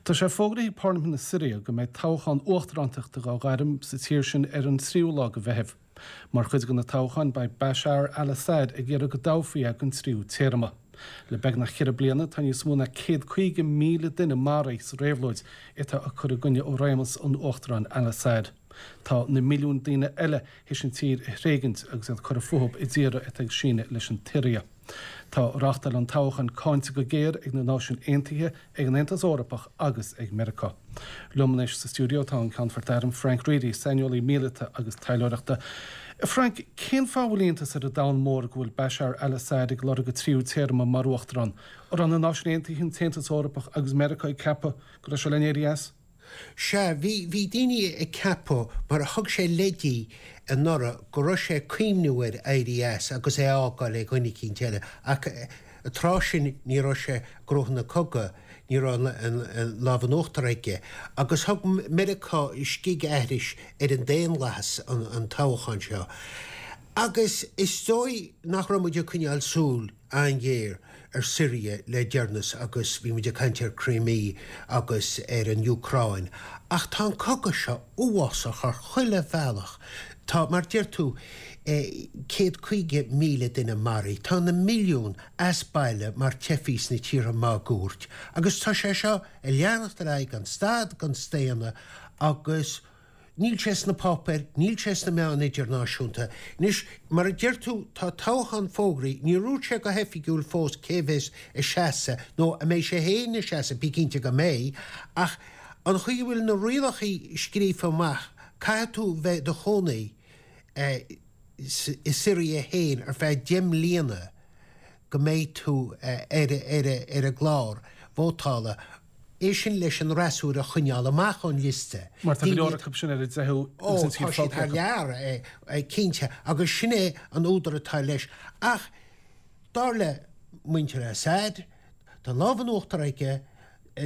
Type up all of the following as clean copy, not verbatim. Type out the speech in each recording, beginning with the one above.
Tá sé fógraithe ag Parlaimint na Siria go mbeidh toghchán uachtarántachta dhá ghairm sa tír sin ar an tríú lá de Mheitheamh. Mar chuid de na toghcháin beidh Bashar al-Assad ag iarraidh go dtoghfaí é don tríú téarma. Le beagnach cheithre bliana tá níos mó ná 150,000 duine maraithe sa réabhlóid atá ag cur i gcoinne réimeas an Uachtaráin al-Assad. Tá na milliúin daoine eile théis an tír a thréigint agus iad curtha fúthu i dtíortha atá ag síneadh leis an tSiria. Tá reáchtáil an toghcháin cáinte go géar ag na Náisiúin Aontaithe, ag an Aontas Eorpach agus ag Meiriceá. Liom anois sa stiúideo tá an Ceannfort Airm Frank Reidy, saineolaí míleata agus taidhleoireachta. Frank, cén fáth a bhfuil iontas ar an domhan mór go bhfuil Bashar al-Assad ag lorg a tríú téarma mar uachtarán? An raibh na Náisiúin Aontaithe, an tAontas Eorpach agus Meiriceá ag ceapadh go raibh sé le n-éirí as? Sea, bhí, bhí daoine ag ceapadh, mar a thug sé leidí anuraidh, go raibh sé ag cuimhniú ar éirí as agus é a fhágáil ag dhuine eicínt eile, ach an tráth sin ní raibh sé ag gnóthú na cogadh, ní raibh an lámh in uachtar aige. Agus thug Meiriceá scigaithris ar an daonlathas an toghchán seo. Agus is dóigh nach raibh muid ag coinneáil súil an-ghéar ar Syria le deireanas agus bhí muid ag caint ar Crimea agus ar an Úcráin ach tá an cogadh seo uafásach ar chuile bhealach. Tá, mar deir tú, 150,000 duine maraithe, tá na milliúin as baile mar teifigh sna tíortha máguaird agus tá sé seo ag leanacht ar aghaidh gan stad gan staonadh agus Níl sé sna páipéir, níl sé sna meáin idirnáisiúnta. Anois, mar a deir tú, tá toghchán fógraithe, níor dhúirt sé go hoifigiúil fós cé bheas ag seasamh, nó an mbeidh sé féin ag seasamh, bí cinnte go mbeidh, ach an chaoi a bhfuil na rialacha scríofa amach, caithfidh tú bheith i do chónaí i Siria féin ar feadh 10 mbliana go mbeidh tú ar ar an gclár vótála. É sin leis an fhreasúra a choinneáil amach ón liosta. Mar tá go leor acu sin ar a dteitheadh agus an tír fágtha acu. Ó, tá siad thar lear, cinnte, agus sin é an údar atá leis. Ach dar le muintir Assad, tá an lámh in uachtar aige,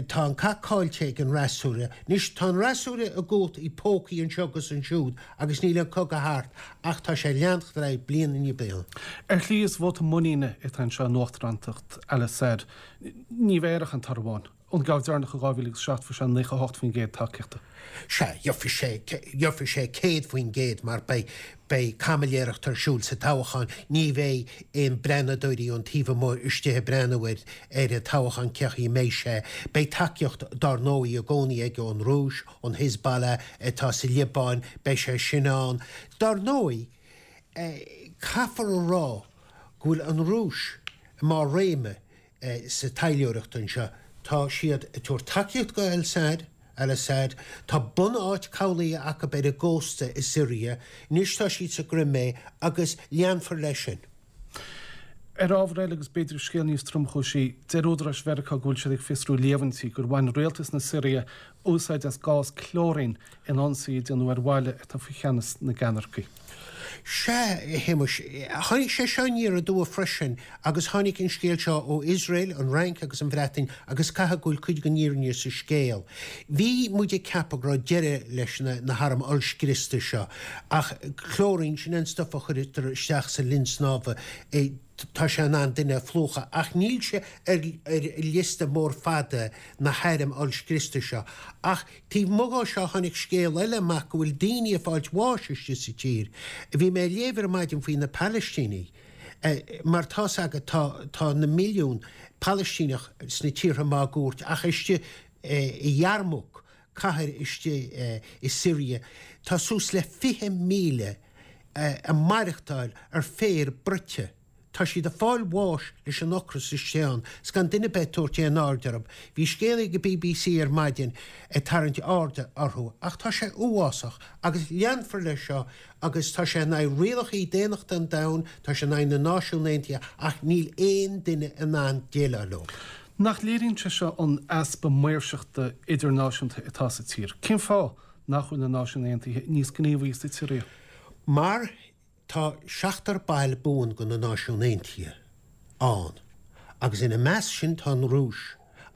tá an cath caillte ag an fhreasúra. Anois, tá an fhreasúra i gcumhacht i bpócaí anseo agus ansiúd agus níl an cogadh thart ach tá sé ag leanacht ar aghaidh bliain i ndiaidh bliana. Ar shlí is vóta muiníne atá anseo in uachtarántacht al-Assad. Ní bheidh air ach an toradh amháin. Ón gceann deireanach i 2007 fuair sé 98% tacaíochta. Sea, gheobhaidh sé, gheobhaidh sé 100% mar beidh, beidh caimiléireacht ar siúl sa toghchán. Ní bheidh aon breathnadóirí ón taobh amuigh istigh ag breathnú ar, ar an toghchán cén chaoi a mbeidh sé. Beidh tacaíocht dár ndóigh i gcónaí aige ón Rúis, ón Hezbollah atá sa Liobáin, beidh sé sin ann. Dár ndóigh, caithfear a rá go bhfuil an Rúis i mbarr réime sa taidhleoireacht anseo. Tá siad ag tabhairt tacaíocht go Al-Assad, Al-Assad. Tá bunáit cabhlaigh acu ar an gcósta i Siria. Anois tá siad sa gCrimé agus leanfar leis sin. Ar ábhar eile, agus b'fhéidir scéal níos tromchúisí, deir údaráis Mheiriceá go bhfuil siad ag fiosrú líomhaintí gur bhain rialtas na Siria úsáid as gás clóirín in ionsaí a déanadh ar bhaile atá faoi cheannas na gceannaircigh. Sea, a Shéamuis, tháinig sé seo aniar aduaidh freisin agus tháinig an scéal seo ó Iosrael, an Fhrainc agus an Bhreatain agus caithfidh go bhfuil cuid den fhírinne sa scéal. Bhí muid ag ceapadh go raibh deireadh leis na hairm ollscriosta seo ach clóirín, sin an stuif a chuirtear isteach sa linn snámha, tá sé in ann duine a phlúchadh ach níl sé ar liosta mór fada na hairm ollscriosta seo. Ach taobh amuigh dhó seo tháinig scéal eile amach go bhfuil daoine ag fáilt bháis istigh sa tír. Bhí mé ag léamh ar maidin faoi na Palaistínigh mar tá's agat tá tá na milliúin Palaistíneach sna tíortha máguaird ach istigh i Yarmouk, cathair istigh i Siria, tá suas le 20,000 ag maireachtáil ar féar bruite. Tá siad ag fáil bháis leis an ocras istigh ann 's gan duine ar bith ag tabhairt aon aird orthu. Bhí scéal ag an bbc ar maidin ag tarraingt airde orthu ach tá sé uafásach agus leanfar leis seo agus tá sé in aghaidh rialacha daonnachta an domhain, tá sé in aghaidh na Náisiún Aontaithe ach níl aon duine in ann déileáil leo. Nach léiríonn sé seo an easpa maoirseachta idirnáisiúnta atá sa tír? Cén fáth nach bhfuil na Náisiúin Aontaithe níos gníomhaí sa tSiria? Mar tá seachtar baill buan de na Náisiúin Aontaithe ann agus ina measc sin tá an Rúis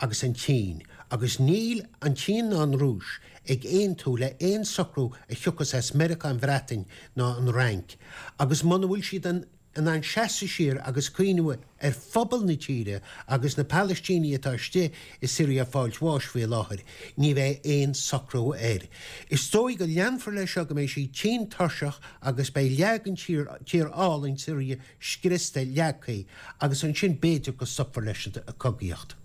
agus an tSín agus níl an tSín ná an Rúis ag aontú le aon socrú a thiocfas as Meiriceá, an Bhreatain ná an Fhrainc agus muna bhfuil siad in. in ann seasamh siar agus cuimhniú ar phobal na tíre agus na Palaistínigh atá istigh i Siria ag fáilt bháis faoi láthair, ní bheidh aon socrú air. Is dóigh go leanfar leis seo go mbeidh siad tinn tuirseach agus beidh leath den tír, tír álainn Siria scriosta, leagtha agus ansin b'fhéidir go stopfar leis an cogaíocht.